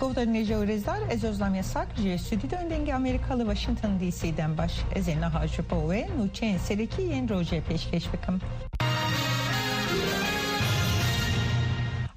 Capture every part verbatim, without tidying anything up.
Guhdarên hêja û rêzdar, ez Ozlem Yasak ji Stûdyoyên Dengê Amerîka li Washington D C dem baş. Ez ê niha ji bo we nûçeyên serekî yên rojê pêşkêş bikim.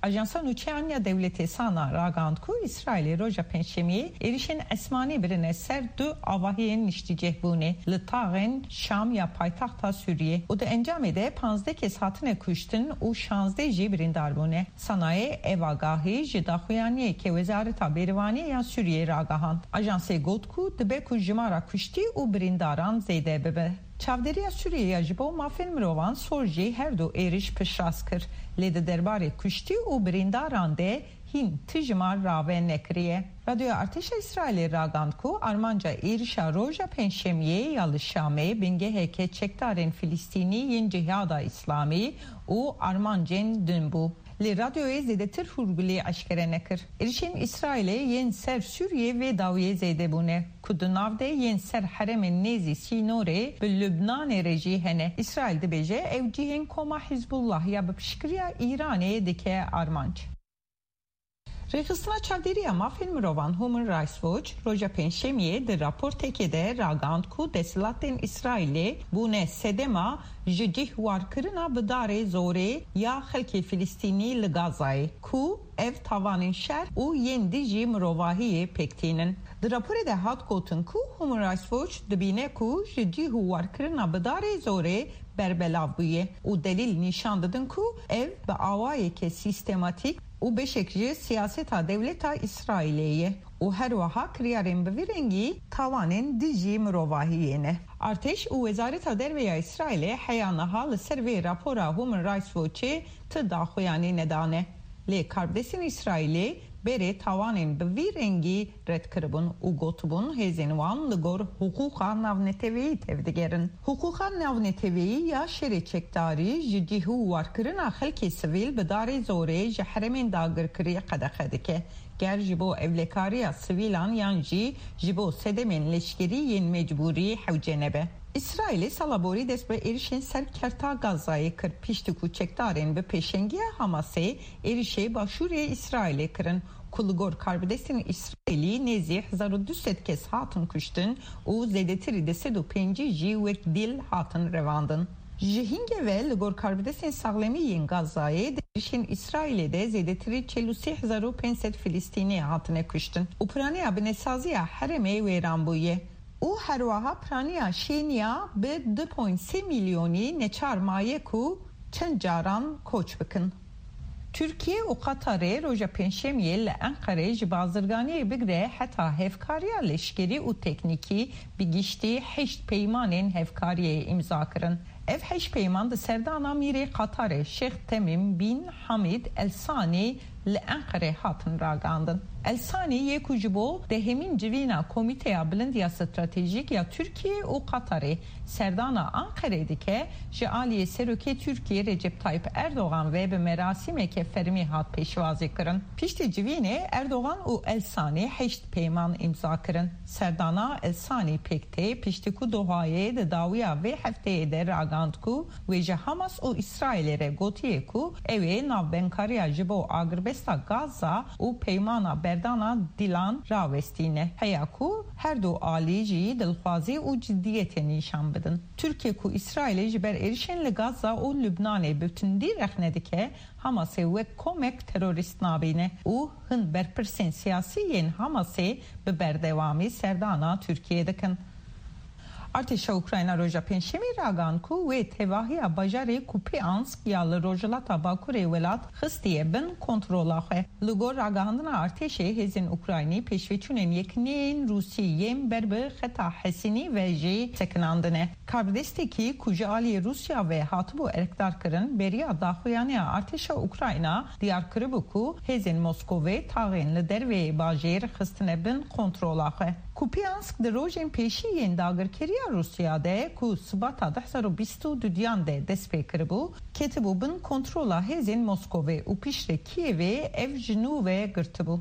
Ajansa Nûçeyan ya Dewletê, SANA, ragihand ku Îsraîlê roja Pêncşemiyê êrişên esmanî birine ser du avahiyên niştîcihbûnê li taxên Şam ya paytexta Sûriyê û di encamê de panzdeh kes hatine kuştin û şazdeh jî birîndar bûne. SANAyê ev agahî ji daxuyaniyeke Wezareta Bêrivaniyê ya Sûriyê ragihand. Ajansê got ku dibe ku jimara kuştî û birîndaran zêde bibe. Çavdêriya Sûriyê ya ji bo mafên mirovan, SOHR, jî her du êriş piştrast kir, lê di derbarê kuştî û birîndaran de hîn ti jimar rave nekiriye. Radyoya Artêşa Îsraîlê ragihand ku armanca êrişa roja Pêncşemiyê ya li Şamê bingeheke çekdarên Filistînî yên Cihada Îslamî û armancên din bû. Lê radyoyê zêdetir hûrgulî eşkere nekir. Êrişên Îsraîlê yên ser Sûriyê vê dawiyê zêde bûne, ku di nav de yên ser herêmên nêzî sînorê bi Lubnanê re jî hene. Îsraîl dibêje ew cihên koma Hizbullah ya bi piştgiriya Îranê dike armanc. Rêxistina Çavdêriya Mafên Mirovan Human Rights Watch roja Pêncşemiyê di raportekê de ragihand ku desthilatên Îsraîlê bûne sedema ji cih warkirina bi darê zorê ya xelkê Filistînî li Gazayê, ku ev tavanên şer û yên dijî mirovahiyê pêk tînin. Di raporê de hat gotin ku Human Rights Watch dibîne ku ji cih û warkirina bi darê zorê berbelav bûye û delîl nîşan didin ku ev bi awayeke sîstematîk û beşek ji siyaseta dewleta Îsraîlê ye û her wiha kiryarên bi vî rengî tawanên dijî mirovahiyê ne. Artêş û Wezareta Derve ya Îsraîlê heya niha li ser vê rapora Human Rights Watchê ti daxuyanî nedane. Lê karbidestên Îsraîlê berê tawanên bi vî rengî red kiribûn û gotibûn hêzên wan li gor hiqûqa navneteweyî tevdigerin. Hiqûqa navneteweyî ya şerê çekdarî ji cih û warkirina xelkê sivîl bi darê zorê ji herêmên dagirkirî qedexe dike, ger ji bo ewlekariya sivîlan yan jî ji bo sedemên leşkerî yên mecbûrî hewce nebe. Îsraîlê sala borî dest bi êrişên ser kerta Gazayê kir, piştî ku çekdarên bi pêşengiya Hamasê êrişê başûrê Îsraîlê kirin, ku li gor karbidestên Îsraîlî nêzî hezar û du sed kes hatin kuştin û zêdetirî du sed û pêncî jî wek dîl hatin revandin. Ji hingê ve li gor karbidestên saxlemî yên Gazayê di êrişên Îsraîlê de zêdetirî çel û sê hezar û pênc sed Filistînî hatine kuştin û piraniya binesaziya herêmê wêran bûye. Û herwiha piraniya şêniya bi du point sê milyonî neçar maye ku çend caran koç bikin. Tirkiye û Qatarê roja Pêncşemiyê li Enqerê ji bazirganiyê bigre heta hevkariya leşkerî û teknîkî bi giştî heşt peymanên hevkariyê îmza kirin. Ev heşt peyman di serdana mîrê Qatarê Şêx Temîm bin Hamîd El Sanî li Enqerê hatin ragihandin. El Sanî yê ku ji bo dehemîn civîna Komîteya Bilind ya Stratejîk ya Tirkiye û Qatarê serdana Enqerê dike, ji aliyê Serokê Tirkiye Recep Tayyip Erdogan ve bi merasîmeke fermî hat pêşwazî kirin. Piştî civînê Erdogan û El Sanî heşt peyman îmza kirin. Serdana El Sanî pêk tê, piştî ku Dohayê di dawiya vê hefteyê de ragihand ku wê ji Hamas û Îsraîlê re gotiye ku ew ê navbenkariya ji bo agirbesta Gaza û peymana berdana dîlan rawestîne, heya ku her du alî jî dilxwazî û ciddiyetê nîşan bidin. Tirkiye ku Îsraîlê ji ber êrişên li Gaza û Lubnanê bi tundî rexne dike, Hamasê wek komek terorîst nabîne û hin berpirsên siyasî yên Hamasê bi berdewamî serdana Tirkiyê dikin. Artêşa Ukrayna roja Pêncşemî ragihand ku wê tevahiya bajarê Kupiansk ya li rojhilata bakurê welat xistiye bin kontrola xwe. Li gor ragihandina artêşê, hêzên Ukraynî pêşveçûnên yekîneyên Rûsî yên ber bi xeta Hesînî ve jî sekinandine. Karbidestekî ku ji aliyê Rûsya ve hatibû erkdarkirin, beriya daxuyaniya artêşa Ukrayna diyar kiribû ku hêzên Moskovê taxên li derveyê bajêr xistine bin kontrola xwe. Kupiansk di rojên pêşî yên dagirkeriya Rûsya de ku Sibata du hezar û bîst û duyan de dest pê kiribû, ketibû bin kontrola hêzên Moskovê û piştre Kiyevê ev ji nû ve girtibû.